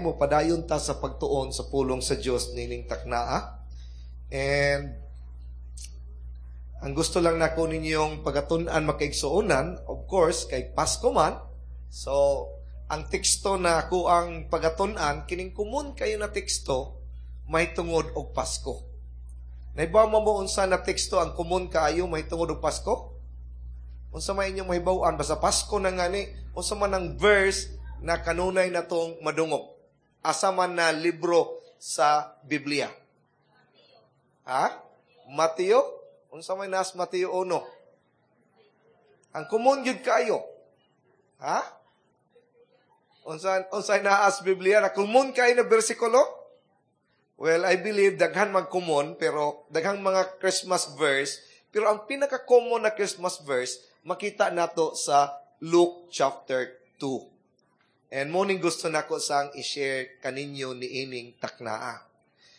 Mo padayon ta sa pagtuon sa pulong sa Dios nining taknaa. And ang gusto lang nako ninyong pagatun-an, makaigsuonan, of course, kay Pasko man. So, ang teksto na ako ang pagatun-an, kining kumun kayo na teksto, may tungod og Pasko. Nahibaw mo unsa na teksto ang kumun kaayo may tungod og Pasko? Unsa may inyong mahibaw-an? Basta Pasko na ngani, unsa man ang verse na kanunay na tong madungog? Asa man na libro sa Biblia? Ha? Mateo? Unsa may nas Mateo 1? Ang kumun gyud kaayo. Ha? Unsa naas Biblia na kumun kaayo na bersikulo? Well, I believe daghan magkumon, pero daghang mga Christmas verse, pero ang pinaka-common na Christmas verse makita nato sa Luke chapter 2. And morning gusto nako sang i-share kaninyo ni ining taknaa.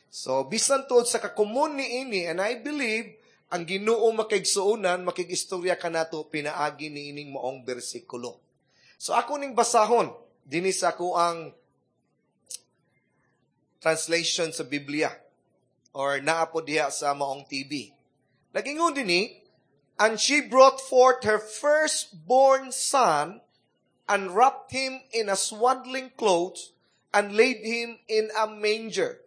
So, bisan tuod sa kakumon ni ini, and I believe, ang Ginoo, makaigsuonan, makigistorya kanato pinaagi ni ining maong bersikulo. So, ako ning basahon, dinhi sa ako ang translation sa Biblia or naa po diha sa maong TV. Nagingon dinhi, "And she brought forth her firstborn son and wrapped him in a swaddling clothes and laid him in a manger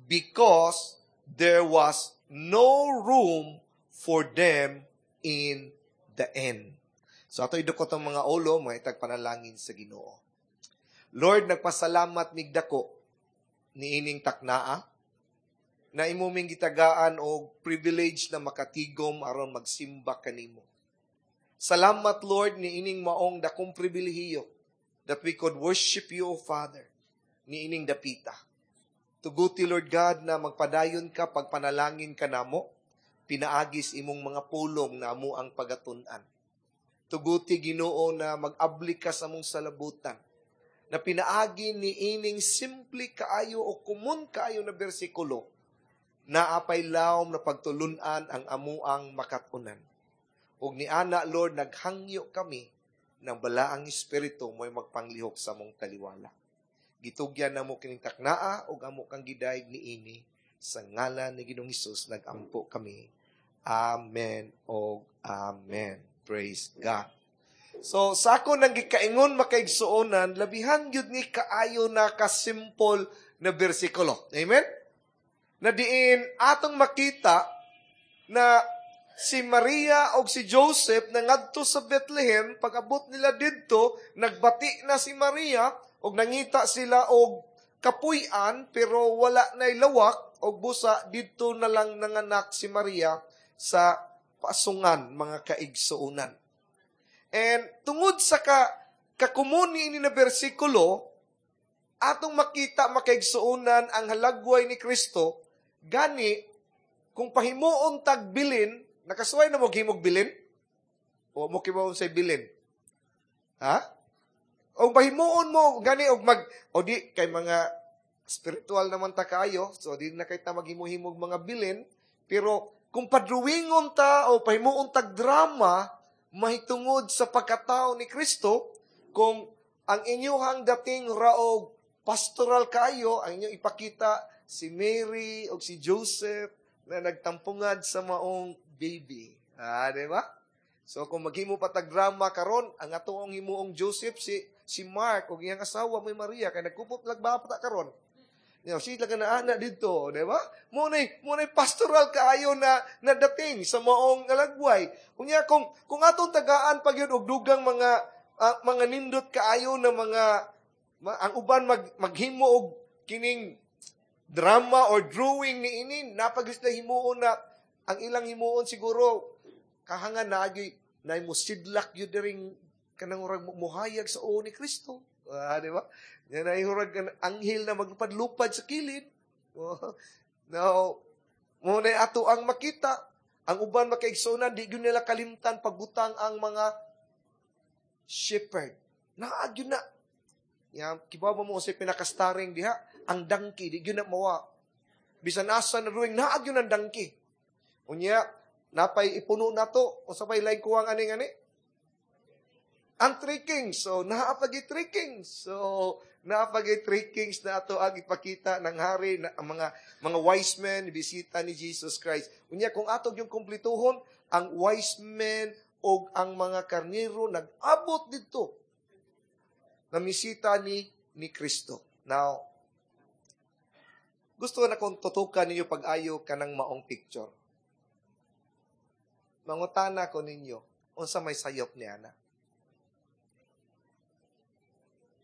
because there was no room for them in the inn." So ato idukot ang mga ulo, mga itagpanalangin sa Ginoo. Lord, nagpasalamat mig dako niining taknaa na imo ming gitagaan og privilege na makatigom aron magsimba kanimo. Salamat, Lord, niining maong dakong pribilehiyo that we could worship you, O Father, niining dapita. Tuguti, Lord God, na magpadayon ka pagpanalangin kanamo, pinaagis imong mga pulong na amo ang pagatun-an. Tuguti, Ginoo, na mag-abli ka sa among salabutan, na pinaagi ni ining simple kaayo o kumun kaayo na bersikulo, na apay lawom na pagtulunan ang amuang makatunan. Ug ni ana, Lord, naghangyo kami ng Balaang Espiritu mo'y magpanglihok sa among taliwala. Gitugyan namo kining taknaa ug amo kang gidayeg niini sa ngalan ni Ginoong Hesus nagampo kami. Amen og amen. Praise God. So sa ako nang gikaingon, makaigsuonan, labihan gyud ni kaayo na kasimple na bersikulo. Amen? Na diin atong makita na si Maria og si Joseph nangadto sa Bethlehem. Pag-abot nila didto, nagbati na si Maria og nangita sila og kapuy-an, pero wala na lawak og busa didto na lang nanganak si Maria sa pasungan, mga kaigsuonan. And tungod sa kakumuni ini na bersikulo, atong makita, makaigsuonan, ang halagway ni Kristo. Gani kung pahimuon tag bilin, nakasuway na mo himog bilin? O mo kibaw sa bilin? Ha? O pahimuon mo gani og mag o di kay mga spiritual naman ta kaayo, so di na kay ta maghimo-himog mga bilin, pero kung padruwingon ta o pahimuon tag drama mahitungod sa pagkatao ni Kristo, kung ang inyuhang dating raog pastoral kayo, ang inyong ipakita si Mary o si Joseph na nagtampungad sa maong baby. Ah, di ba? So kung maghimo pa tag drama karon, ang atoong himuong Joseph si Mark ug iyang asawa may Maria kay nagkupot lagbapa ta karon. Sila ka na ana dito, di ba? Mo pastoral kaayo na nadating sa maong alagway. Unya kung atong tagaan pag yun og dugang mga nindot kaayo na mga ang uban maghimo og kining drama or drawing ni ini, napagis na himuon na ang ilang himuon siguro kahangan na agi na mo sidlak yun dering kanang urag muhayag sa uo ni Kristo. Ah, di ba? Yan ay hurag anghel na maglupad-lupad sa kilid. Oh. Now, mo na ato ang makita. Ang uban, makaigsunan, di gyud nila kalimtan pagbutang ang mga shepherd. Naa gyud na. Ya, kibaw mo sa pinaka-starring diha, ang donkey, di gyud na mawa. Bisan asa na drawing, naa gyud ang donkey. Unya, napay ipuno na to. Unsa pay lain kuwang aning ani? Ang Three Kings. So, naa pagi Three Kings. So, Napagay three kings na ato ang ipakita ng hari na ang mga wise men bisita ni Jesus Christ. Unya kung ato yung kumplituhon, ang wise men o ang mga karnero nag-abot dito na misita ni Kristo. Now, gusto na kong tutukan ninyo pag-ayo kanang maong picture. Mangutana ko ninyo, unsa may sayop ni ana?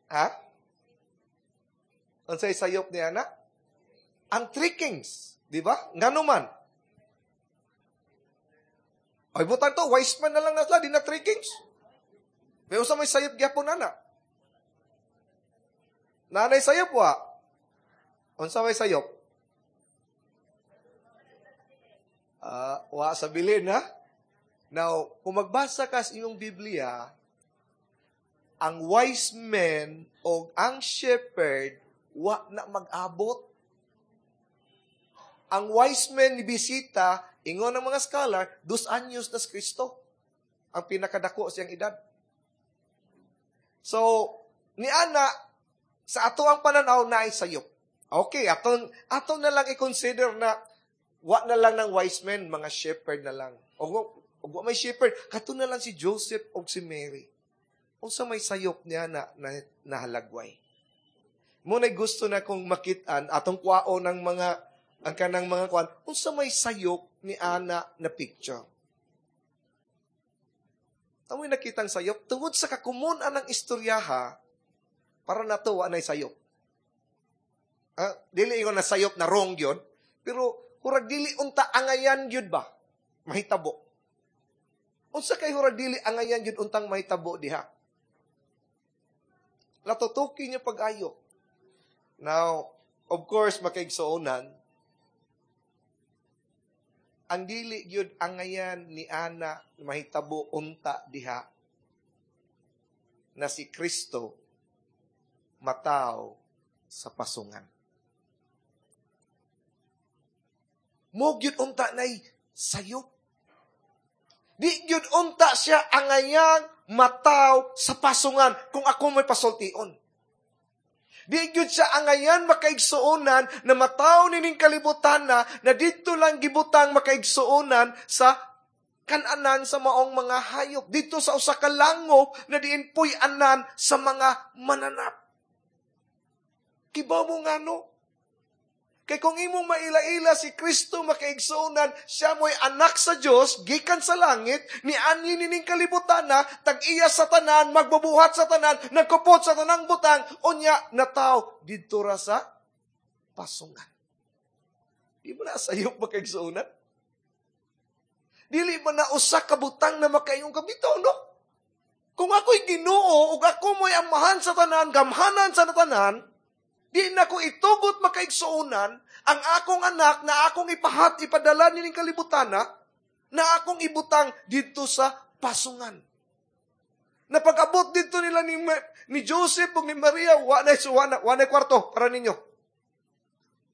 Ha? Unsay sayop ni ana? Ang three kings, di ba? Ngano man? Ay, butang to, wise man na lang na sila, di na three kings. May unsa may sayop gyapon ana? Nanay sayop wa? Unsa may sayop? Wa sa bilin, ha? Now, kung magbasa ka sa inyong Biblia, ang wise men o ang shepherd wa na mag-abot. Ang wise men ni bisita, ingon ng mga scholar, 2 anyos na si Kristo. Ang pinakadako siyang edad. So, ni ana, sa ato ang pananaw na ay sayop. Okay, ato na lang i-consider na wa na lang ng wise men, mga shepherd na lang. O wa may shepherd, kato na lang si Joseph o si Mary. Unsa may sayop niya na nahalagway. Muna'y gusto na kong makitaan atong kwao ng mga ang kanang mga kwan, unsa may sayop ni ana na picture. Tamoy nakitang sayop tungod sa kakumun ang istoryaha para nato wa nay sayop. Dili ingon na sayop na wrong gyud, pero hurag dili unta angayan gyud ba mahitabo. Unsa kay hurag dili angayan gyud untang mahitabo diha? Latutuki niyo pag-ayo. Now, of course, makaigsuonan, ang dili gyud angayan ni ana mahitabo unta diha na si Kristo mataw sa pasungan. Mo gyud unta nay sayop. Di gyud unta siya angayang mataw sa pasungan kung ako may pasultion. Di gyud siya angayan makaigsuonan na mataw nining kalibutan na didto lang gibutang makaigsuonan sa kananan sa maong mga hayop. Dito sa usa ka langop na diin puy-anan sa mga mananap. Kibaw mo ngano? Kay kung imong maila-ila si Kristo makaigsuonan, siya mo'y anak sa Dios gikan sa langit, ni anhi nining kalibutan na, tag-iya sa tanan, magbubuhat sa tanan, nagkupot sa tanang butang, unya nataw didto ra sa pasungan. Di mo na sayop makaigsuonan? Dili ba na usa ka butang na makaingon ka bitaw, no? Kung ako'y Ginoo ug ako mo'y amahan sa tanan, gamhanan sa tanan, di na ko itugot makaigsuonan ang akong anak na akong ipahat, ipadala nining kalibutan na akong ibutang dito sa pasungan. Na pag-abot dito nila ni Joseph ug ni Maria, wa na kwarto para ninyo.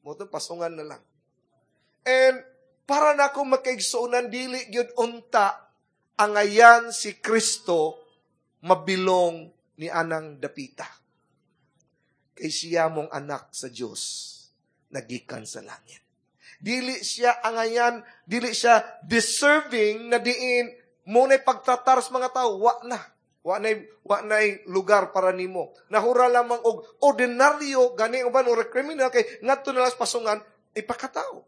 Mo to pasungan na lang. And para na ako makaigsuonan, dili gyud unta angayan si Kristo mabilong ni anang dapita. Kay siya mong anak sa Dios nagikan sa langit. Dili siya angayan, dili siya deserving na diin mo na'y pagtratar sa mga tao, wa na. Wa na'y lugar para nimo. Nahura lamang og ordinaryo gani uban or criminal kay ngadto na lang sa pasungan ipakatao.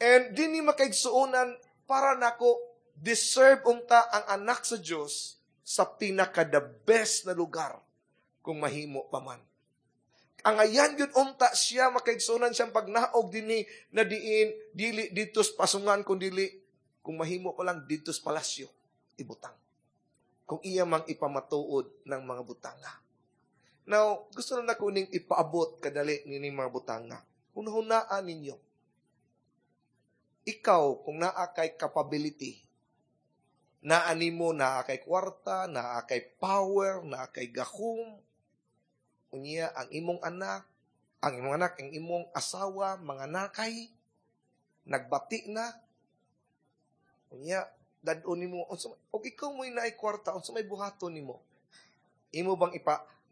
And dinhi makaigsuonan para nako deserve unta ang anak sa Dios sa pinaka the best na lugar kung mahimo pa man. Ang ayan yun unta siya makaigsuonan siyang pagnaog dinhi na diin dili dito sa pasungan kung dili kung mahimo pa lang dito sa palasyo ibutang. Kung iya mang ipamatuod ng mga butanga. Now, gusto na nako ning ipaabot kadali nining mga butanga. Hunahunaan ninyo. Ikaw, kung naa kay capability, naa nimo, naa kay kwarta, naa kay power, naa kay gahom, unya ang imong anak, ang imong asawa, mga nakay, nagbati na, unya, dad-on nimo, og ikaw mo'y naay kwarta, unsa may buhaton nimo? Imo bang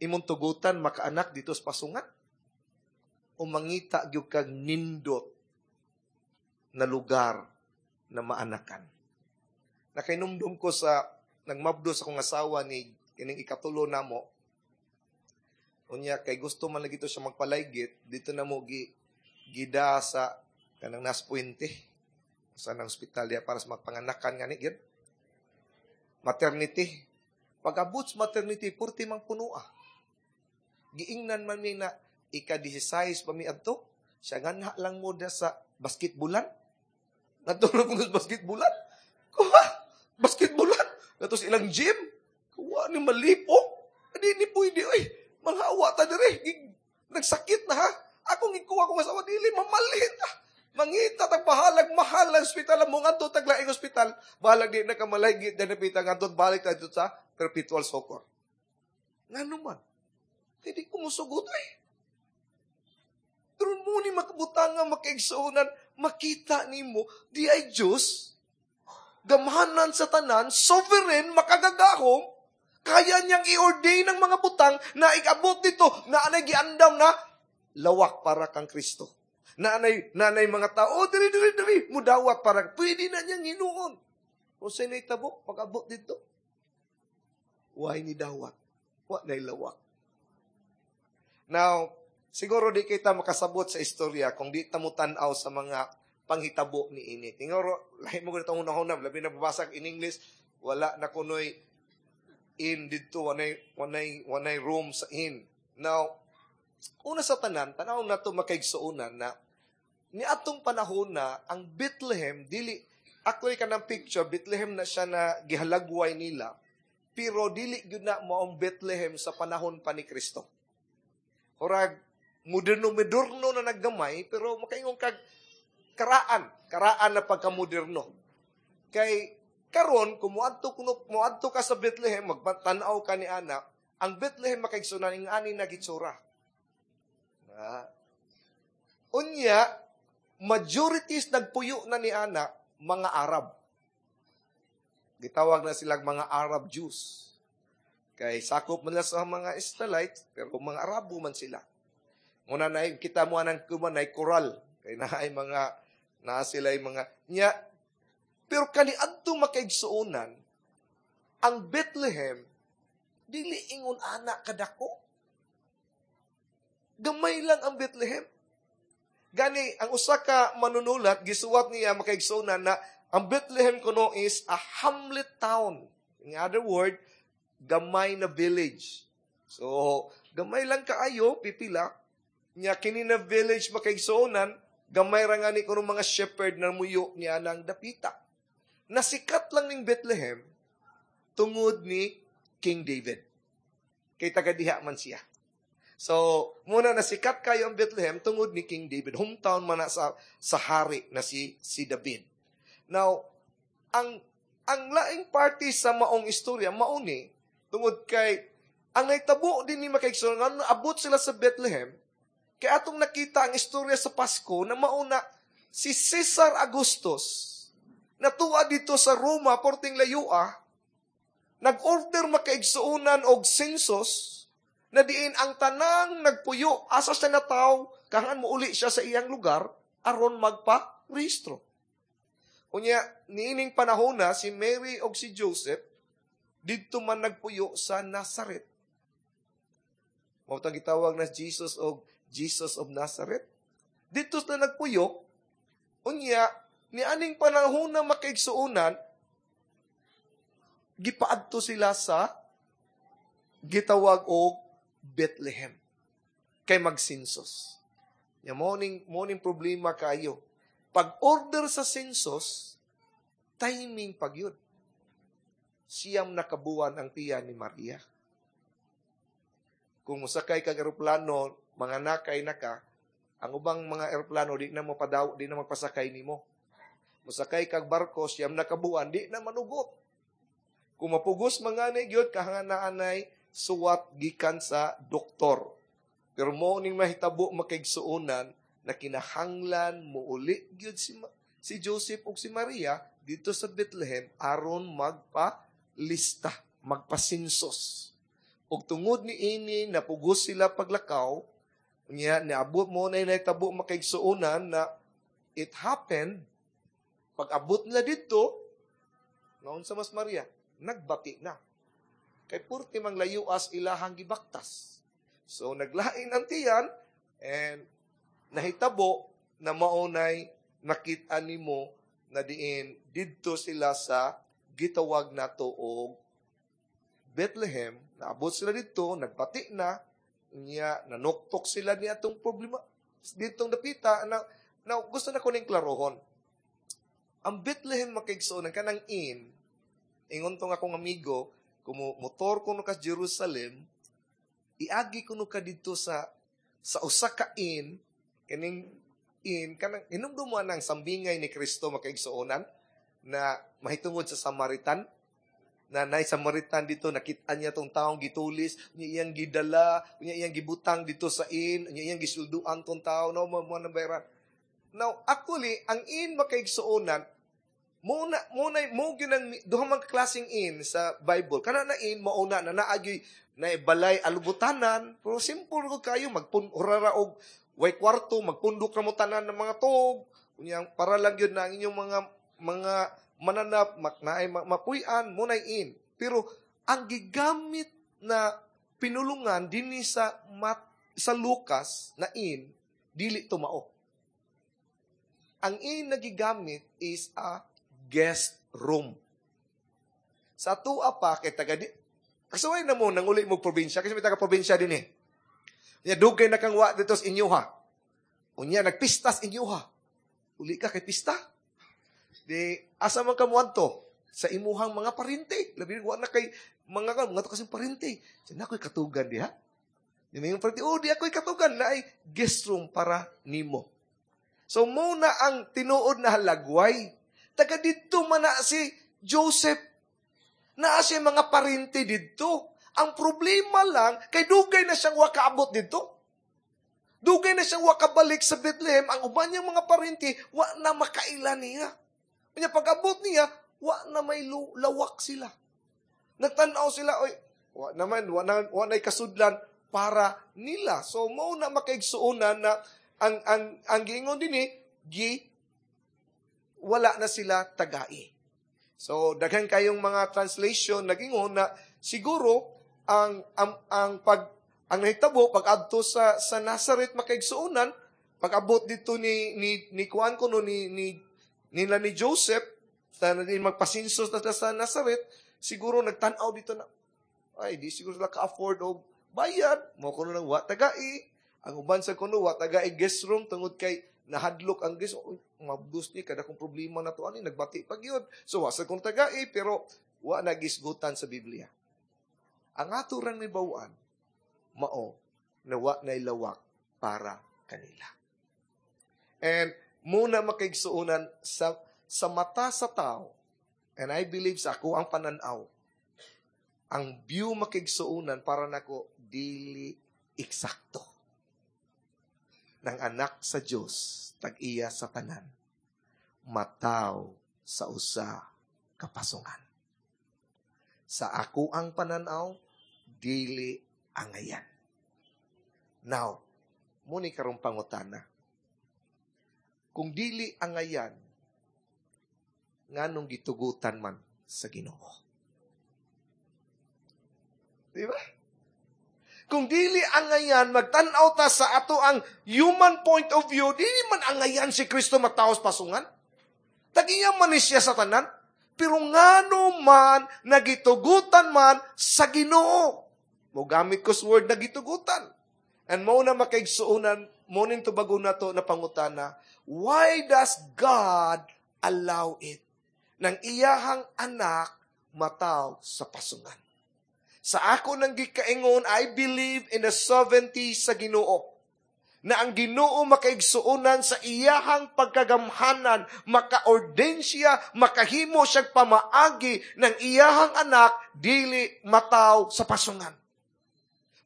Imong tugutan makaanak dito sa pasungan? O mangita gyud kag nindot na lugar na maanakan? Nakainumdum ko sa nagmabdo sa akong asawa ni kining ikatulo namo. Unya kay gusto man lagi to siya magpalaygit, dito na mo gi gida sa kanang nas puente sa nang ospital diya para sa magpanganakan ngani gyud. Maternity. Pag-abot sa maternity, purti mang punoa. Giingnan man mi na ika-16 pa mi adto. Siya nganha lang mo da sa basketbulan. Natulog mo sa basketbulan. Kuha, basketbulan. Nato sa ilang gym. Kuha ni malipok. Adi ni pwede, oy. Manghawa ta dire. Nagsakit na ha. Akong ikuha kong asawa, dili, mamalhin ta. Mangita tag bahalag mahal ang ospital mo ngadto tag laing ospital. Bahalag di na ka malaygit na napita ngadto balik ta dito sa Perpetual Succor. Ngano man? Hindi ko musugot eh. Pero mo ni makabutang nga makaigsuonan, makita nimo di ay Diyos, gamhanan sa tanan, sovereign, makagagahom, kaya niyang i-ordain ang mga butang na ikabot dito, na anay giandam na lawak para kang Kristo. Na anay mga tao, oh, diri, diri, diri, mudawat para, pwede na niyang hinuon. Kung sa'yo tabo, pag-abot dito, why ni dawat? Wa na'y lawak. Now, siguro di kita makasabot sa istorya kung di ta mo tan-aw sa mga panghitabo ni ini. Tinguro, lahi mo ganitong unang-unang, labi na babasag in English, wala na kunoy inn didto, wanay room sa inn. Now, una sa tanan, tanaw na to makaigsuonan na ni atong panahon na ang Bethlehem dili actually kanang picture Bethlehem na siya na gihalagway nila, pero dili gyud na maong Bethlehem sa panahon pa ni Kristo. Murag moderno-moderno na naggamay, pero makaingon kag karaan na pagkamoderno. Kay karon kung muadto ka sa Bethlehem, magtan-aw ka ni ana, ang Bethlehem makaigsunan ing ani na gitsura. Ah. Unya, majorities nagpuyo na ni ana mga Arab. Gitawag na silang mga Arab Jews. Kay sakop man sa mga Israelites, pero mga Arabo man sila. Muna na kita mo anang kuman ay koral. Kay naay mga naa sila mga nya. Pero kaniadto makaigsuonan, ang Bethlehem dili ingon ana kadako. Gamay lang ang Bethlehem. Gani ang usa ka manunulat gisuwat niya makaigsuonan na ang Bethlehem kuno is a hamlet town. In other word, gamay na village. So, gamay lang kaayo, pipila. Nya kini na village makaigsuonan, gamay ra nga ni kuno mga shepherd na muyo niya ng dapita. Nasikat lang ning Bethlehem tungod ni King David. Kay taga diha man siya. So, muna nasikat kayo ang Bethlehem tungod ni King David. Hometown man na sa hari na si David. Now, ang laing party sa maong istorya, mauni, tungod kay, ang naitabo din ni makaigsuonan, nga abot sila sa Bethlehem, kay atong nakita ang istorya sa Pasko na mauna si Caesar Augustus, natuwa dito sa Roma, porting layua, nag-order makaigsuonan og census, na diin ang tanang nagpuyo, asa siya nataw, kahan mo uli siya sa iyang lugar, aron magpa-rehistro. Unya, niining panahon na, si Mary og si Joseph, didto man nagpuyo sa Nazaret. Mao tang gitawag na Jesus og Jesus of Nazareth. Didto sila nagpuyo. Unya, nianing panahon na makaigsuonan, gipaadto sila sa gitawag og Bethlehem kay magsensus. Ya morning problema kayo. Pag-order sa census, timing pag yun. 9 na kabuwan ang tiyan ni Maria. Kung musakay kag eroplano, mga nakay na ka, ang ubang mga eroplano di na mapadaw, di na magpasakay nimo. Musakay kag barko, 9 na kabuwan, di na manugot. Kung mapugos mga ni gyud, kahangaanay suwat gikan sa doktor. Pero mo ning mahitabo makaigsuonan na kinahanglan muuli gyud si Joseph ug si Maria dito sa Bethlehem aron magpa-lista, magpa-census. Ug tungod ni ini napugos sila paglakaw, unya niabot mo na nahitabo, makaigsuonan, na it happened pag abot nila didto, naon sa mas Maria, nagbati na. Kay purti mang layuas ilahang gibaktas. So naglain ang tiyan and nahitabo na maunay nakita nimo na diin didto sila sa gitawag nato og Bethlehem. Naabot sila didto, nagbati na, niya nanuktok sila niya atong problema ditong dapita na. Now, gusto na ko ning klarohon. Ang Bethlehem, makaigsoon, kanang inn, ingon tong akong amigo, kung motor kuno ka Jerusalem, iagi kuno ka didto sa usa ka inn, kaning inn, kanang hinumdum mo ang sambingay ni Kristo, makaigsuonan, na mahitungod sa Samaritan, na nay Samaritan dito, nakita niya tong taong gitulis, niya iyang gidala, niya iyang gibutang dito sa inn, niya iyang gisulduan tong tao, no, mo mo na bayaran. Now, actually, ang inn, makaigsuonan, muna muna mo ginang duha man klaseng inn sa Bible. Kana na inn mauna na naagyoy na balay alubutanan, pero simple ko kayo magpun urara og way kwarto, magpundok ra mo tanan ng mga tog. Unyang para lang yun na ang inyong mga mananap naay mapuy-an mo na inn. Pero ang gigamit na pinulungan dinhi sa Lucas na inn, dili tumao. Ang inn na gigamit is a guest room. Sa tua pa kay taga di kasuway na mo nang uli mo probinsya kasi may taga probinsya din eh. Unya dugay na kang wa dito sa inyo ha. Unya nagpistas inyo ha. Uli ka kay pista. Di asa man ka moadto sa imuhang mga parente. Labi wa na kay mga ka mga kasing parente. Sa na ako'y katugan diha. Di may parente, oh, di ako'y katugan na ay guest room para nimo. So muna ang tinuod na halagway. Taga didto man na si Joseph. Naa siya mga parente didto. Ang problema lang, kay dugay na siyang wakaabot didto. Dugay na siyang wakabalik sa Bethlehem. Ang uban niyang mga parente, wa na makaila niya. Kanya pag-abot niya, wa na may lawak sila. Nagtanaw sila, oy, wa naman, wa na kasudlan para nila. So, mao na, makaigsuonan, na ang giingon dinhi, gi wala na sila tagai. So, daghan kayong mga translation nagingon na siguro ang pag ang nahitabo pag adto sa Nazareth, makaigsuonan, pag abot dito ni kuan kuno ni nila ni Joseph sa din magpasinsos na sa Nazareth, siguro nagtan-aw dito na ay di siguro sila ka-afford og bayad mo kuno nang wa tagai. Ang uban sa kuno wa tagai guest room tungod kay nahadlok ang guest, mabdos ni kada kong problema na to ani, nagbati pag yun. So wa sa kong tagai, pero wa nagisgutan sa Biblia. Ang ato rang nibawaan mao na wa na lawak para kanila. And muna, makaigsuonan, sa mata sa tao, and I believe sa ako ang pananaw, ang view, makaigsuonan, para nako dili eksakto ng anak sa Dios, tag-iya sa tanan, mataw sa usa ka pasungan. Sa ako ang pananaw, dili angayan. Now, muni karong pangutana. Kung dili angayan, nganong gitugutan man sa Ginoo? Di ba? Kung dili angayan, magtan-aw ta sa ato ang human point of view, dili man angayan si Kristo mataos pasungan. Tagiya man ni siya sa tanan. Pero ngano man nagitugutan man sa Ginoo? Mo gamit ko sa word nagitugutan. And mo na, makaigsuonan, mo ning tubago na to na pangutana, why does God allow it? Nang iyahang anak mataw sa pasungan. Sa ako nang gikaingon, I believe in the sovereignty sa Ginoo. Na ang Ginoo, makaigsuonan, sa iyahang pagkagamhanan, maka-ordain siya, makahimo siyang pamaagi ng iyahang anak, dili mataw sa pasungan.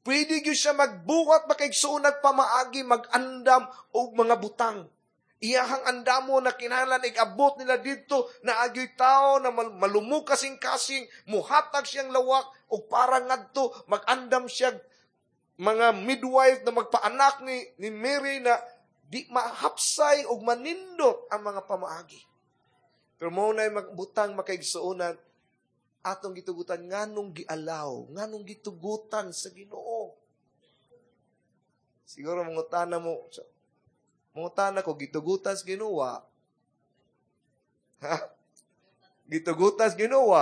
Pwede gyud siya magbuhat, makaigsuonan, pamaagi, mag-andam og mga butang. Iyahang andamo na kinahanglan igabot nila didto na agyoy tao na malumok kasing-kasing, muhatag siyang lawak. ug para ngadto mag-andam siya mga midwife na magpaanak ni Mary na di mahapsay og manindot ang mga pamaagi. Pero mao na magbutang, makaigsuonan, atong gitugutan nganong gialaw, nganong gitugutan sa Ginoo. Siguro mangutana mo, mangutana ko, gitugutan sa Ginoo. Ha? Gitugutan sa Ginoo.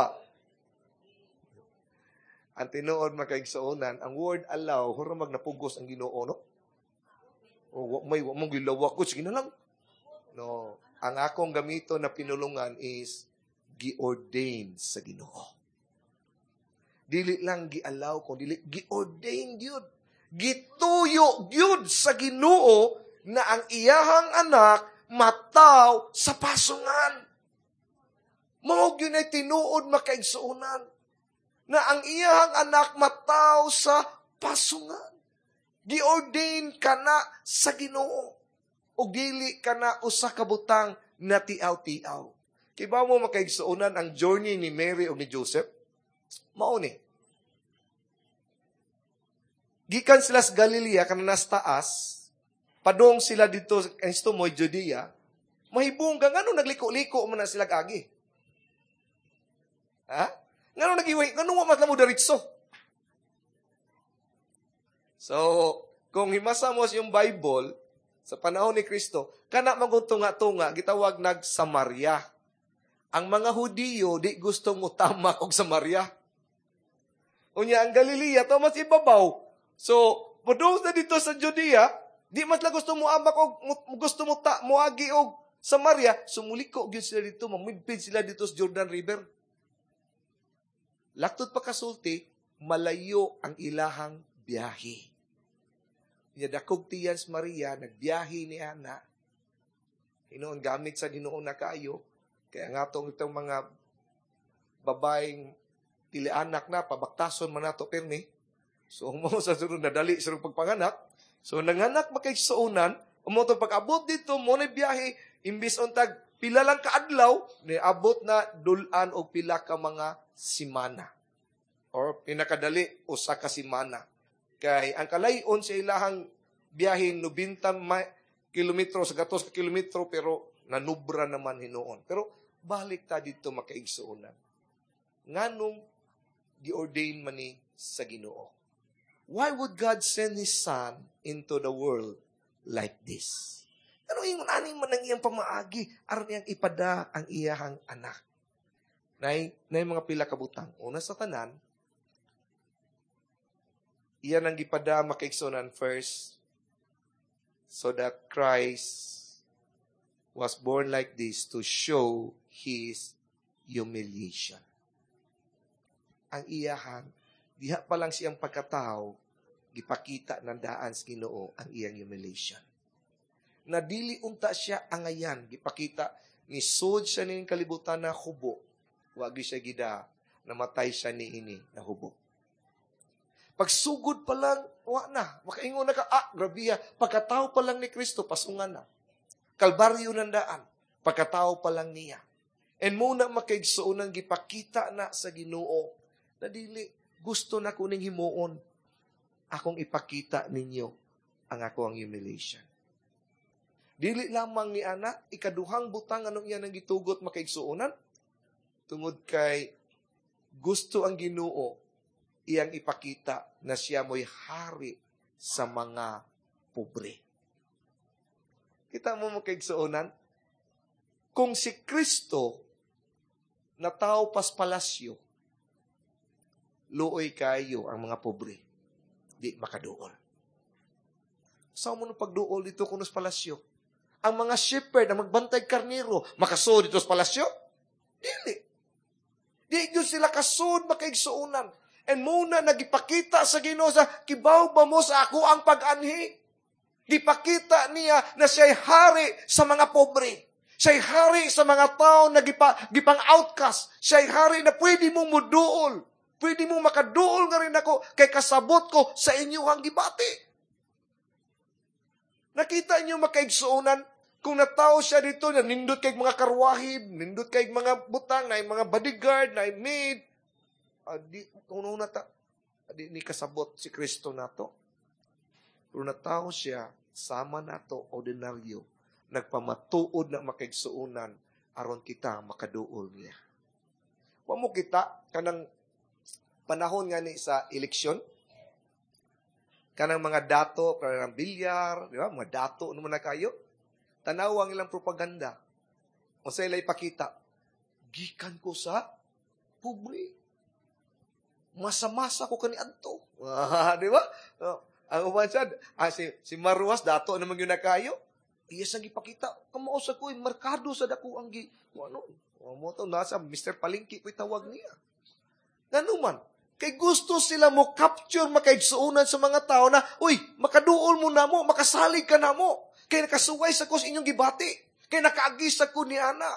Ang tinuod, makaigsuonan, ang word "allow", hura magnapugos ang Ginoo, no? O, wa may wa mong gilawak ko, sige na lang. No, ang akong gamito na pinulungan is gi-ordain sa Ginoo. Dili lang gi-allow kung dili gi-ordain gyud. Gituyo gyud sa Ginoo na ang iyahang anak mataw sa pasungan. Mao gyud ay tinuod, makaigsuonan, na ang iyahang anak mataw sa pasungan. Gi-ordain ka na sa Ginoo. O dili ka na usa ka butang na tiaw-tiaw. Kibaw mo, makaigsuonan, ang journey ni Mary o ni Joseph? Mao ni. Gikan sila sa Galilea, kanang nasa taas, padung sila dito sa moy Judea, mahibong ka, ngano nagliko-liko man na sila agi? Ha? Ngano nagiway? Ngano wa man mo diretso? So, kung himasa mo yung Bible, sa panahon ni Kristo, kana maguntunga-tunga, gitawag nag Samaria. Ang mga Hudiyo, di gusto mo tamak og Samaria. Unya, ang Galilea, to mas ibabaw. So, padung na dito sa Judea, di mas lang gusto mo amak og gusto mo ta moagi og Samaria, sumuliko gyud sila dito, mamidpid sila dito sa Jordan River. Laktod pa kasulti, malayo ang ilahang biyahe. Nya dakog tiyan si Maria, nagbiyahe ni ana. Hinuon gamit sa Ginoo na kaayo. Kaya nga tong itong mga babaeng pili anak na, pabaktason man nato pirmi. So, mo sa sunod nadali sa pagpanganak. So, nanganak makaigsuonan, umo to pag-abot dito, mo na biyahe, imbis untag pila lang kaadlaw, niabot na dulan og pila ka mga simana. Or pinakadali, usa ka simana. Kay ang kalayon sa ilahang biyahe 90 kilometro sa gatos ka kilometro, pero nanubra naman hinuon. Pero balik ta dito, makaigsuonan. Nganong giordain man ni sa Ginoo? Why would God send His Son into the world like this? Ano ingon ani man ang iyang pamaagi aron iyang ipada ang iyahang anak? Nay mga pila ka butang. Una sa tanan, iyan ang gipada, makaigsuonan, first, so that Christ was born like this to show His humiliation. Ang iyahang, diha pa lang siyang pagkatao, gipakita ng daan sa Ginoo ang iyang humiliation. Na dili unta siya angayan, gipakita ni sud siya ning kalibutan na hubo. Wagi siya gida, namatay siya ni ini na hubo. Pagsugod pa lang, wa na. Makaingon na ka, ah, grabe. Pagkatao pa lang ni Kristo, pasungan na. Kalbaryo ng daan. Pagkatao pa lang niya. And muna, makaigsuonan, gipakita na sa Ginoo na dili gusto na kuning himuon, akong ipakita ninyo ang ako ang humiliation. Dili lamang ni ana, ikaduhang butang anong iya nang gitugot, makaigsuonan, tungod kay gusto ang Ginoo iyang ipakita na siya mo'y hari sa mga pobre. Kita mo, makaigsuonan, kung si Kristo nataw pas palasyo, luoy kayo ang mga pobre, di makaduol. Sa mo nung pagduol dito kuno sa palasyo? Ang mga shepherd na magbantay karnero, makasuod dito sa palasyo? Dili. Di gyud sila kasud, makaigsuonan. And muna nagipakita sa Ginoo sa kibaw ba mo sa ako ang pag-anhi? Gipakita niya na siya'y hari sa mga pobre. Siya'y hari sa mga tao na gipang outcast. Siya'y hari na pwede mong muduol. Pwede mong makaduol nga rin ako kay kasabot ko sa inyo ang gibati. Nakita niyo, makaigsuonan, kung natao siya dito, na nindot kay mga karwahib, nindot kay mga butang, na mga bodyguard, na maid. Di, una ta, di ni kasabot si Kristo nato. Pero natawo siya, sama nato, ordinaryo, nagpamatuod na makaigsuonan, aron kita makaduol niya. Wa mo kita, kanang panahon nga ni sa eleksyon, kanang mga dato, kanang bilyar, di ba? Mga dato naman na kayo. Tanaw ang ilang propaganda. O sa ila ipakita, gikan ko sa pobre. Masa-masa ko kani adto. Di ba? Ang uban siya, si Marruas, dato naman yun na kayo. Iya sang ipakita, kamao sa ko, merkado sa dako ang gi, ano, mo to, nasa Mr. Palengke ko'y tawag niya. Ngano man, kay gusto sila mo capture makaigsuonan sa mga tao na, uy, makaduol mo na mo, makasalig ka na mo. Kay nakasuway sa ko sa inyong gibati. Kay nakaagi sa ko ni ana.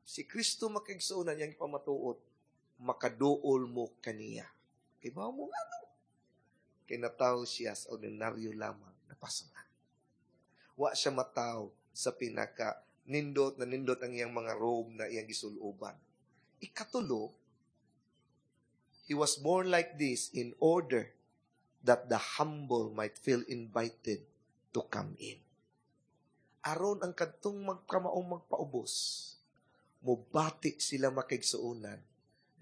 Si Kristo makaigsuonan niyang ipamatuod, makaduol mo kaniya. Kay ba mo nga no? Kay natawo siya sa ordinaryo lamang na pasungan. Wa siya mataw sa pinaka nindot na nindot ang iyang mga robe na iyang gisuloban. Ikatulo, he was born like this in order that the humble might feel invited to come in. Aron ang kadtong magkamaong magpaubos, mubati sila makaigsuonan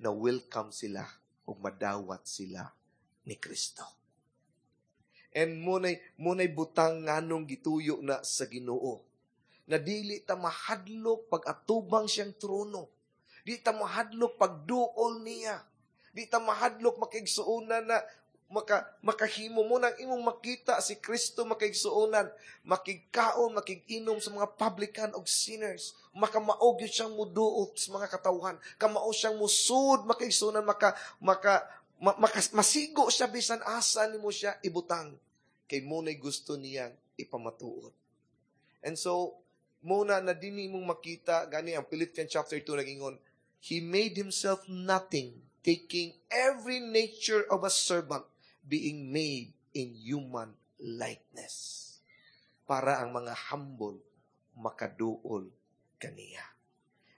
na welcome sila ug madawat sila ni Kristo. And munay butang nganong gituyo na sa Ginoo. Na dili ta mahadlok pag-atubang siyang trono. Di ta mahadlok pagduol niya. Di ta mahadlok makigsuonan na makahimo mo nang imong makita si Kristo makaigsuonan, makigkaon, makiginom sa mga publican og sinners, makamaog yun siyang muduot sa mga katawhan, kamao siyang musud makaigsuonan, masigo siya bisan asa nimo siya ibutang, kay mo na'y gusto niyang ipamatuod. And so, muna na dinhi mong makita, gani ang Philippians chapter 2 nagingon, he made himself nothing, taking every nature of a servant, being made in human likeness. Para ang mga humble makaduol kaniya.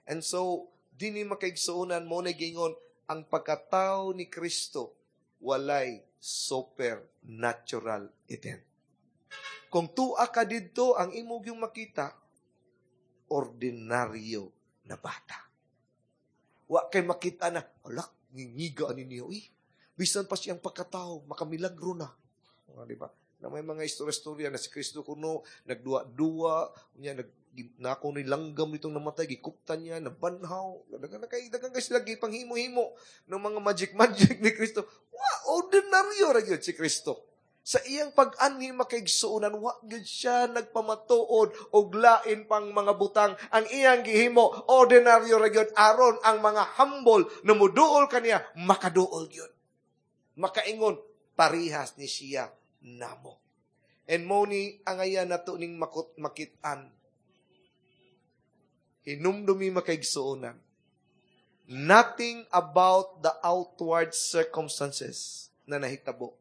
And so, dinhi makaigsuonan mo na gingon, ang pagkatao ni Kristo walay supernatural event. Kung tua ka didto, ang imong yung makita, ordinaryo na bata. Wa kay makita na, alak, ngingiga ani niyo, eh. Bisan pa siyang pagkatao, makamilagro na. O, di ba? Na may mga istorya-istorya na si Kristo kuno, nagduwa-duwa, niya, nako ni langgam itong namatay, gikuptan niya, nabanhaw. Dagan na kay, dagan kay sila gipanghimo-himo ng mga magic-magic ni Kristo. Wa, ordinaryo ra gyud si Kristo. Sa iyang pag-anhi makaigsuonan, wa gyud siya nagpamatuod og lain pang mga butang. Ang iyang gihimo, ordinaryo ra gyud aron ang mga humble na muduol kaniya, makaduol gyud. Makaingon, parihas ni siya namo. And mo ni angayan nato ning makit-an. Hinumdumi makaigsuonan. Nothing about the outward circumstances na nahitabo.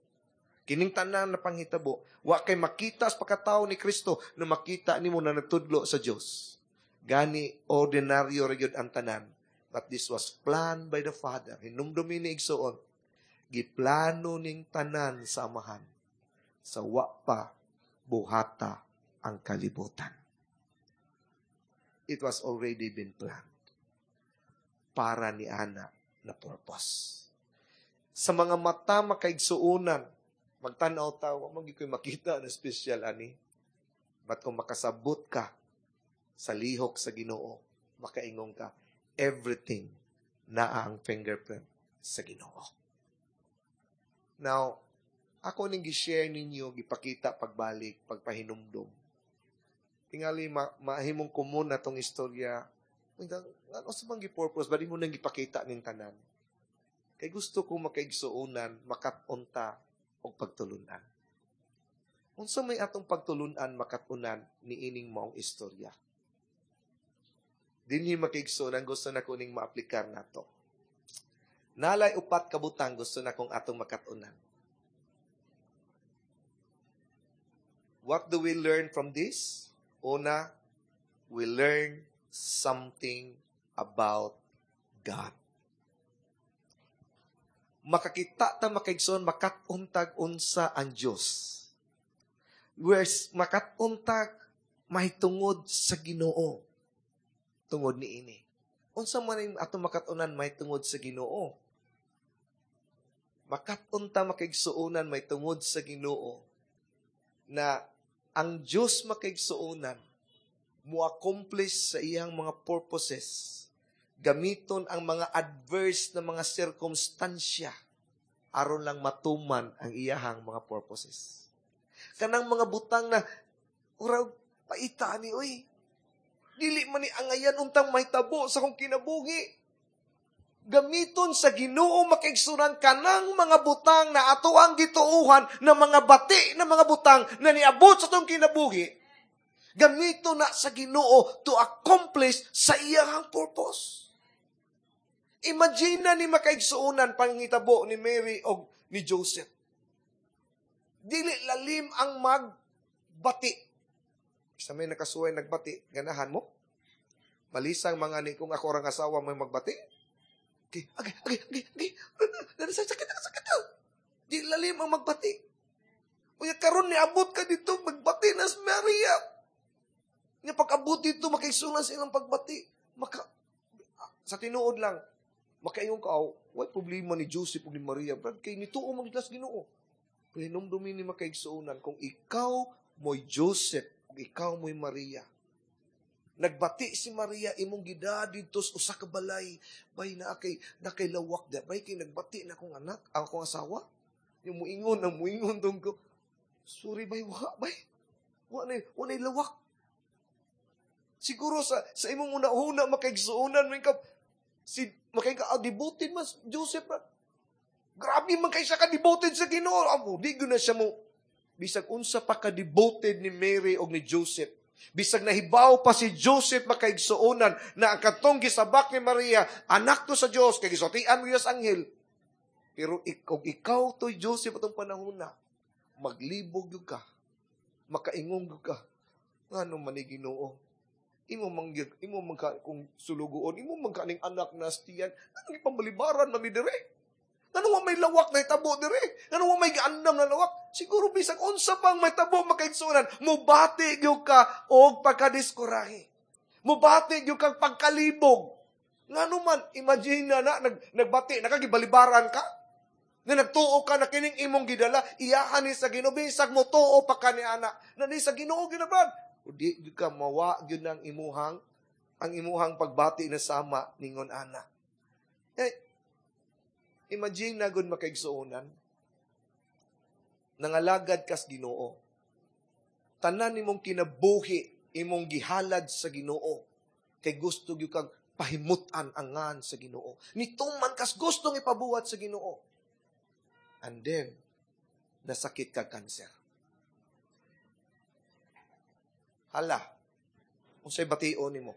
Kining tanan na panghitabo, wa kay makita sa pagkatao ni Kristo na makita nimo na nagtudlo sa Dios. Gani ordinaryo ra gyud ang tanan. But this was planned by the Father. Hinumdumi ni igsuon, giplano ning tanan sa Amahan sa wa pa buhata ang kalibutan. It was already been planned para ni ana na purpose. Sa mga mata makaigsuonan, magtanaw ta, wa man gyud ko'y makita na special ani. But kung makasabot ka sa lihok sa Ginoo, makaingon ka, everything naa ang fingerprint sa Ginoo. Now, ako ning gi-share ninyo, gipakita pagbalik, pagpahinumdom. Tingali, mahimong common na tong istorya. Ano sa bang gi-purpose? Ba di mo nang gipakita ning tanan? Kay gusto ko makaigsuonan, makat-unta, og pagtulunan. Unsa may atong pagtulunan, makat-unan, niining maong istorya? Dinhi makaigsuonan, gusto na ko ning maaplikar nato. Nalay upat ka butang gusto na kong atong makat-unan. What do we learn from this? Una, we learn something about God. Makakita ta, makaigsoon, makat-on tag unsa ang Dios. Whereas makat-on tag mahitungod sa Ginoo tungod niini. Unsa man ang atong makat-onan mahitungod sa Ginoo? Makat-on ta, makaigsuonan, mahitungod sa Ginoo na ang Dios, makaigsuonan, mo accomplish sa iyang mga purposes gamiton ang mga adverse na mga sirkumstansya aron lang matuman ang iyahang mga purposes. Kanang mga butang na urag paita ni oy. Dili man ni angayan untang mahitabo sa kong kinabuhi. Gamiton sa Ginoo, makaigsuonan, kanang mga butang na ato ang gituuhan na mga bati na mga butang na niabot sa atong kinabuhi. Gamiton na sa Ginoo to accomplish sa iyahang purpose. Imagine na ni, makaigsuonan, panghitabo ni Mary o ni Joseph. Dili lalim ang magbati. Sa may nakasuway nagbati, ganahan mo? Malisang mga ni kung ako rang asawa may magbati. Okay. Sakit, sakit. Di lalim ang magbati. Unya karon ni abot ka dito, magbati na si Maria. Nga pag-abot dito, makaigsuonan sa ilang pagbati. Maka, sa tinuod lang, makaingon ka, oh, way problema ni Joseph ug ni Maria? Brad, kay nituo man sa Ginoo. Pero hinumdumi ni, makaigsuonan, kung ikaw mo'y Joseph, ug ikaw mo'y Maria, nagbati si Maria, imong gida didto sa usa ka balay, bay na kay lawak da, bay kay nagbati na akong anak, ang akong asawa. Yung muingon, ang muingon dong ko, "Sorry bay, wa bay. Wa na lawak." Siguro sa imong una-una, makaigsuonan, may ka, si makay ka, ah, devoted mas Joseph ra. Grabe man kay siya ka devoted sa Ginoo. Amo, di gyud na siya mo bisag unsa pa ka devoted ni Mary og ni Joseph. Bisag nahibaw pa si Joseph, makaigsuonan, na ang katong gisabak ni Maria, anak to sa Dios kay gisultian mo sa anghel. Pero kung ikaw to'y Joseph atong panahon na, maglibog gyud ka. Makaingong gyud ka. Ngano man ni Ginoo? Imo man ka kung sulugoon, imo man ka ning anak na stiyan, anong ipambalibaran man mi dire? Ngano wa may lawak na itabo dire? Ngano wa may giandam na lawak? Siguro bisag unsa pang may tabo, makaigsuonan, mubati gyud ka og pagkadiskurahe. Mubati gyud kang pagkalibog. Ngano man, imagine na, na nagbati, nakagibalibaran ka. Na nagtuo ka na kining imong gidala, iyahan ni sa Ginoo, bisag mo tuo pa ka ni ana. Na ni sa Ginoo ginabrad. O di gyud ka mawa gyud ang imuhang pagbati na sama ningon ana. Eh, imagine na gud, makaigsuonan, nangalagad kas Ginoo. Tanan nimong kinabuhi imong gihalad sa Ginoo. Kay gusto gyud kag pahimutan ang ngan sa Ginoo. Nituman kas gustong ipabuhat sa Ginoo. And then, nasakit ka cancer. Hala, unsay bation nimo?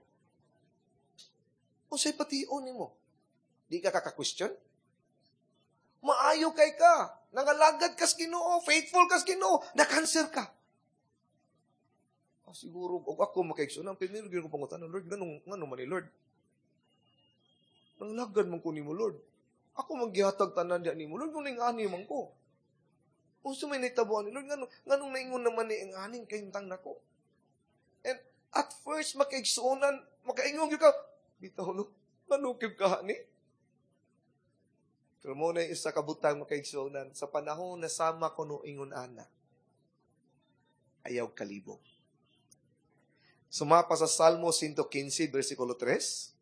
Unsay bation nimo? Di ka kaka-question? Maayo kay ka. Nangalagad kas Ginoo, faithful kas Ginoo, na-cancer ka. Ah, siguro, og ako, makaigsoon, ang primero gyud ko pangutana, "Lord, nganong man ni Lord? Nangalagad man ko nimo, Lord. Ako man gihatag tanan diya nimo, Lord, kung ani man ko. Unsa may nahitabo ani, Lord, nganong naingon naman ni ang aning kahimtang nako?" And at first, makaigsuonan, makaingon gyud ka, "Bitaw no, manukib ka ni." Pero mo na isa ka butang, makaigsuonan, sa panahon na sama ko no ingon ana, ayaw kalibog. Sumapa sa Salmo 115, versikulo 3.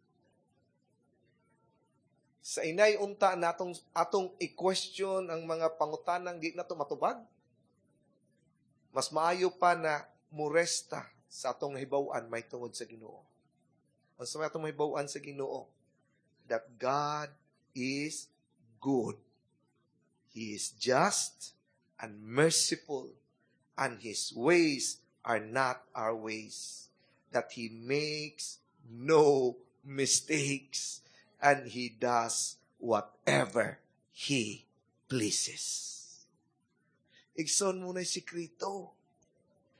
Sa inay unta natong atong i-question ang mga pangutanang di nato matubag. Mas maayo pa na muresta sa atong hibaw-an may tungod sa Ginoo. Unsa may atong mahibaw-an sa Ginoo? That God is good. He is just and merciful, and His ways are not our ways. That He makes no mistakes, and He does whatever He pleases. Igsoon mo na sikreto.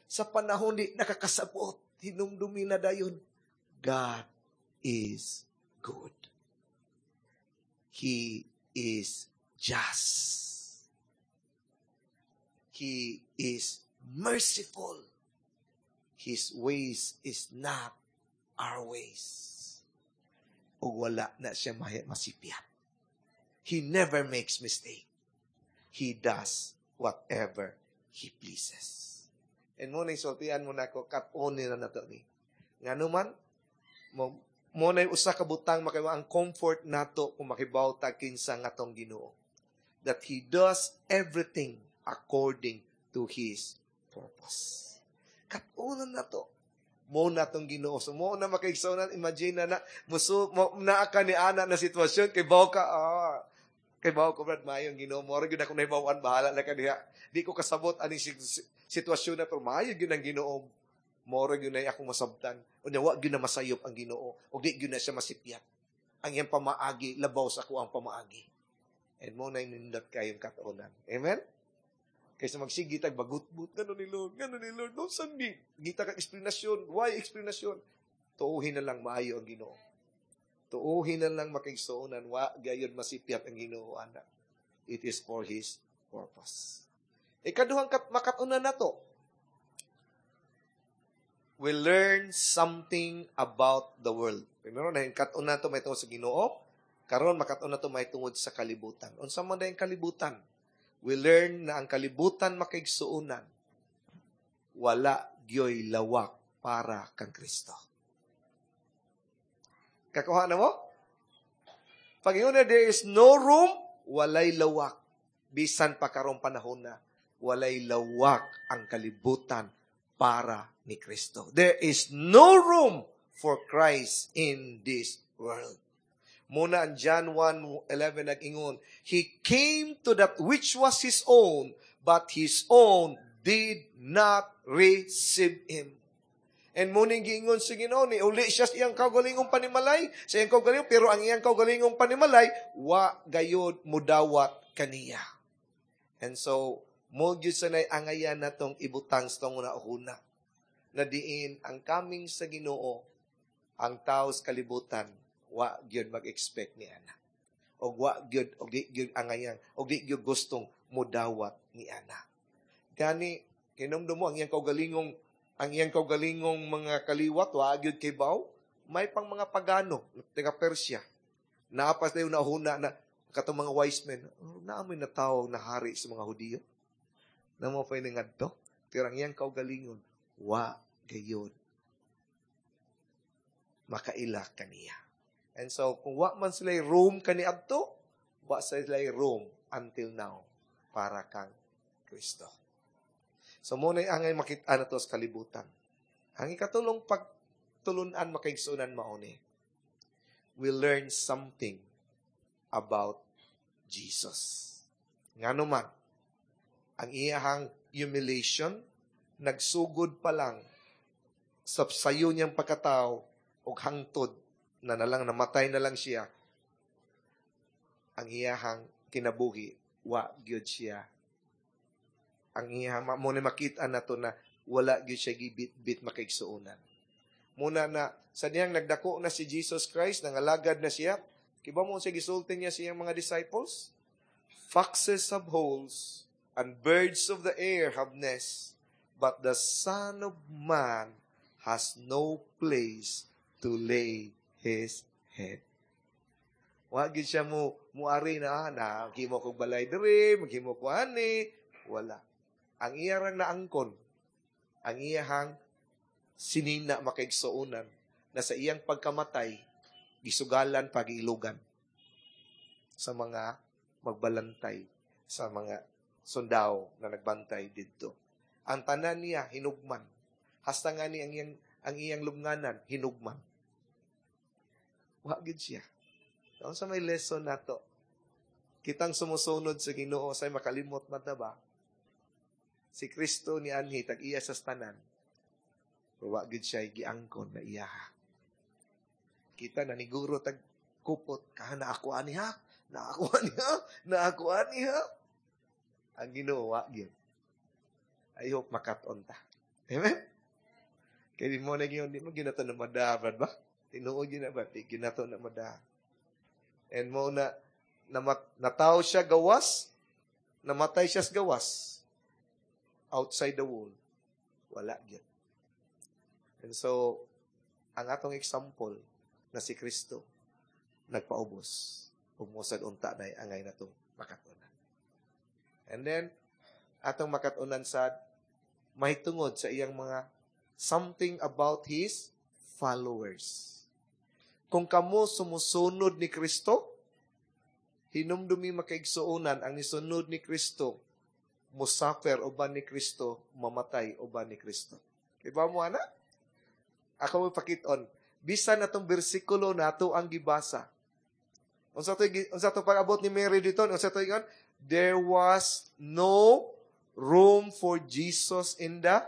Sa panahon di nakakasabot, hinumdumi na dayon, God is good. He is just. He is merciful. His ways is not our ways. Ug wala na siya masipyat. He never makes mistake. He does whatever He pleases. And mao na sultian mo nako, kat-on na nato ni. Ngano man, mao na usa ka butang makabaw ang comfort nato kung makibaw ta kinsa nga atong Ginoo. That He does everything according to His purpose. Kat-onan nato. Mao na atong Ginoo. So mao na, makaigsoon, imagine na na musu mo naa ka ni ana na sitwasyon kay baw ka, kay baw ko, "Brad, maayo ang Ginoo." Mo gyud ako nahibaw-an, bahala na ka diha. Di ko kasabot ani sitwasyon na, pero maayo gyud ang Ginoo. Mao ra gyud na akong masabtan. Unya wa gyud na masayop ang Ginoo ug di gyud na siya masipyat. Ang iyang pamaagi labaw sa ako ang pamaagi. And mao na nindot kayong katuonan. Amen? Kaysa magsige tag bagutbut, "Ngano ni Lord, ngano ni Lord, no sandi?" Ngita kag eksplanasyon, why explanation? Tuuhin na lang maayo ang Ginoo. Tuuhin na lang, makaigsuonan, wa gayon masipyat ang Ginoo ana. It is for His purpose. Ikaduhang makatunan nato. We learn something about the world. Primero na kat-on nato may tungod sa Ginoo, karon makat-on nato may tungod sa kalibutan. Unsa man ang kalibutan? We learn na ang kalibutan, makaigsuonan, wala gyoy lawak para kang Kristo. Kakuha na mo? Pag na there is no room, walay lawak. Bisan pa karong panahon na, walay lawak ang kalibutan para ni Kristo. There is no room for Christ in this world. Mao na ang John 1:11 nag-ingon, "He came to that which was His own, but His own did not receive Him." And mao ning giingon sa Ginoo ni uli siya sa iyang kaugalingong panimalay, sa iyang kaugalingong, pero ang iyang kaugalingong panimalay wa gayod mudawat kaniya. And so, mao gyud sa nay angayan natong ibutang sa tong una na diin ang coming sa Ginoo, ang tao sa kalibutan wa gyud mag-expect ni ana. Og wa gyud og di gyud angayan og di gyud gustong mudawat ni ana. Gani hinumdum mo ang iyang kaugalingong mga kaliwat wa gyud kay baw, may pang mga pagano taga Persia. Naapas na yung nahuna na katong mga wise men, "Oh, naa moy natawag na hari sa mga Hudiyo. Namo pa ngadto." Pero ang iyang kaugalingon, wa gayon makaila kaniya. And so, kung wa man sila room kaniadto, wa sila room until now para kang Kristo. So, mao na angay makita na to sa kalibutan. Ang ikatulong pagtulunan, makaigsunan, mao ni, we learn something about Jesus. Ngano man, ang iyahang humiliation, nagsugod pa lang sa sayo niyang pagkatao ug hangtod na nalang namatay na lang siya, ang iyahang kinabuhi, wa gyud siya. Ang iyahang, mao na makita nato na wala gyud siya gibit-bit, makaigsuonan. Mao na na, sa diyang nagdako na si Jesus Christ, nangalagad na siya, kibaw mo siya gisulti niya sa iyang mga disciples? "Foxes have holes, and birds of the air have nests, but the Son of Man has no place to lay His head." Wa gyud siya mo muari na, na maghimo kog balay diri, maghimo ko ani, wala. Ang iya rang naangkon, ang iyahang sinina, makaigsuonan, na sa iyang pagkamatay, gisugalan pagiilugan sa mga magbalantay, sa mga sundao na nagbantay didto. Ang tanan niya hinugman. Hasta nga ni ang iyang lubnganan hinugman. Wa gid siya. Sa may lesson nato, kitang sumusunod sa Ginoo say makalimot man ta ba? Si Kristo ni anhi tag iya sa tanan. Pero wa gid siya giangkon na iya. Kita na niguro tag kupot ka na ako ani ha, na ako ani ha, na ako ani ha. Ang Ginoo wa gyud. I hope makat-on ta. Amen? Kaya di mo na gyud, di mo ginato na mada, ba? Tinuod yun na ba? Di ginato na mada. And mao na, Natawo siya gawas, namatay siya sa gawas. Outside the wall. Wala gyud. And so, ang atong example na si Kristo, nagpaubos. Ug mao sad unta na angay natong makat-unan. And then, atong makat-unan sad, mahitungod sa iyang mga something about His followers. Kung kamo sumusunod ni Kristo, hinumdumi, makaigsuonan, ang nisunod ni Kristo, musuffer uban ni Kristo, mamatay uban ni Kristo. Diba mo, ana? Ako mo pakiton. Bisan atong bersikulo nato ang gibasa. Unsa to pag-abot ni Mary dito? Unsa to ingon? There was no room for Jesus in the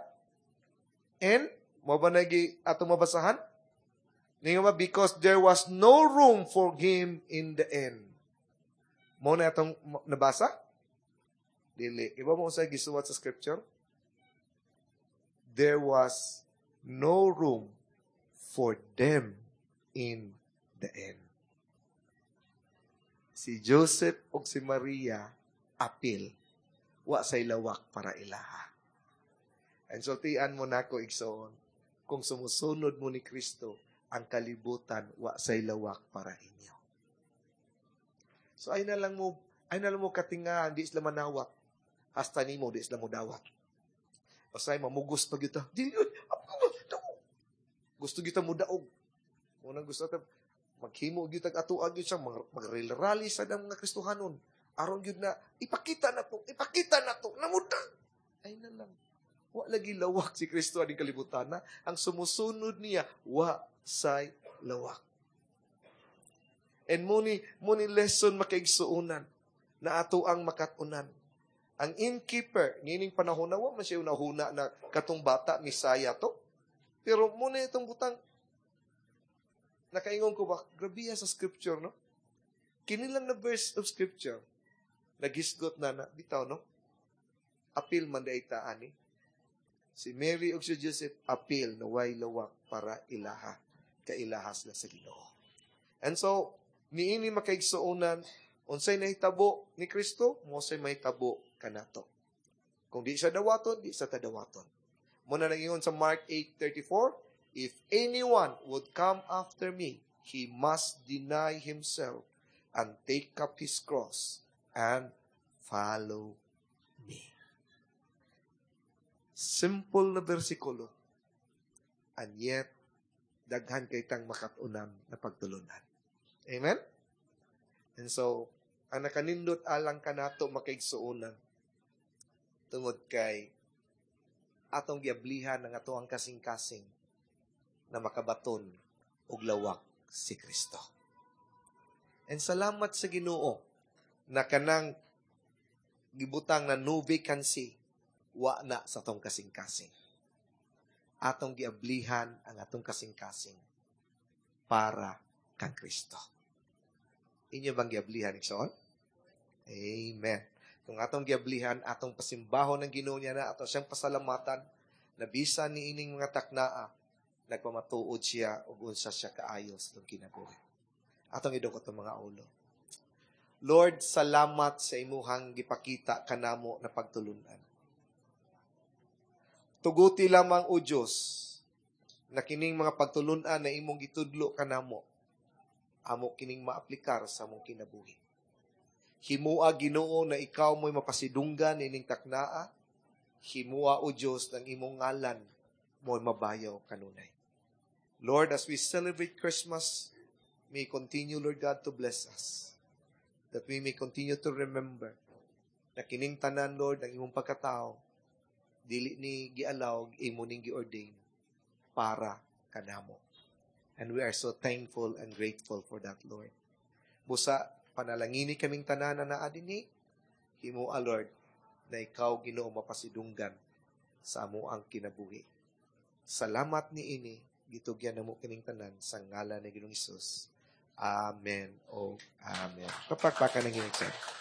inn. Mao ba nagi atong mabasahan? Ningon ba, because there was no room for him in the inn. Mao na atong nabasa? Dili. Iba mo sa gisuwat sa scripture? There was no room for them in the inn. Si Joseph o si Maria apil wa say lawak para ilaha. And sultian mo nako, igsoon, kung sumusunod mo ni Kristo, ang kalibutan wa say lawak para inyo. So ay na lang mo katinga, di sila manawat. Hasta nimo di sila mo dawat. Pasay mamugos pa gyud ta. Di yun. Gusto gyud ta mo daog. Unang gusto ta maghimo gyud tag atuag gyud siya mag-rally sa mga Kristohanon. Aron gyud na ipakita na to, ipakita na to, namuda. Ay na lang. Wa lagi lawak si Kristo aning kalibutan na. Ang sumusunod niya, wa say lawak. And mao ni lesson, makaigsuonan, na ato ang makatunan. Ang innkeeper, niining panahon na, wa man siya unahuna na katong bata, Misaya to. Pero mao na itong butang, nakaingon ko ba, grabe sa scripture, no? Kini lang na verse of scripture, nagisgot na na, bitaw, no? Apil man diay ta ani. Si Mary ug si Joseph, apil na way lawak para ilaha. Kailaha sila sa Ginoo. And so, niini, makaigsuonan, unsay nahitabo ni Kristo, mao say mahitabo kanato. Kung di siya dawaton, di sa ta dawaton. Mao na nangingon sa Mark 8:34, "If anyone would come after me, he must deny himself and take up his cross and follow me." Simple na bersikulo. And yet, daghan kay tang makatunan na pagtulunan. Amen? And so, ang nakanindot alang kanato, makaigsuonan, tungod kay atong giablihan ang ato ang kasing-kasing na makabaton og lawak si Kristo. And salamat sa Ginoo na kanang gibutang na no vacancy wa na sa atong kasing-kasing. Atong giablihan ang atong kasing-kasing para kang Kristo. Inyo bang giablihan, igsoon? Amen. Kung atong giablihan, atong pasimbahon ng Ginoo niya na ato siyang pasalamatan na bisan ni ining mga taknaa, nagpamatuod siya ug unsa siya kaayo sa atong kinabuhi. Atong idukot ang mga ulo. Lord, salamat sa imuhang gipakita kanamo na pagtulunan. Tuguti lamang, O Diyos, na kining mga pagtulunan na imong gitudlo kanamo, amo kining maaplikar sa among kinabuhi. Himua, Ginoo, na ikaw mo'y mapasidunggan ining taknaa. Himua, O Diyos, ng imong ngalan mo'y mabayaw kanunay. Lord, as we celebrate Christmas, may continue, Lord God, to bless us. That we may continue to remember na kining tanan, Lord, ang imong pagkatao, dili ni gialaw, imo ning giordain para kanamo. And we are so thankful and grateful for that, Lord. Busa, panalangini kaming tanan na naa dinhi, himua, Lord, na ikaw, Ginoo, mapasidunggan sa amo ang kinabuhi. Salamat ni ini, gitugyan namo kining tanan sa ngalan ni Ginoong Hesus. Amen o Amen. Kapakpakan ng Ginoo.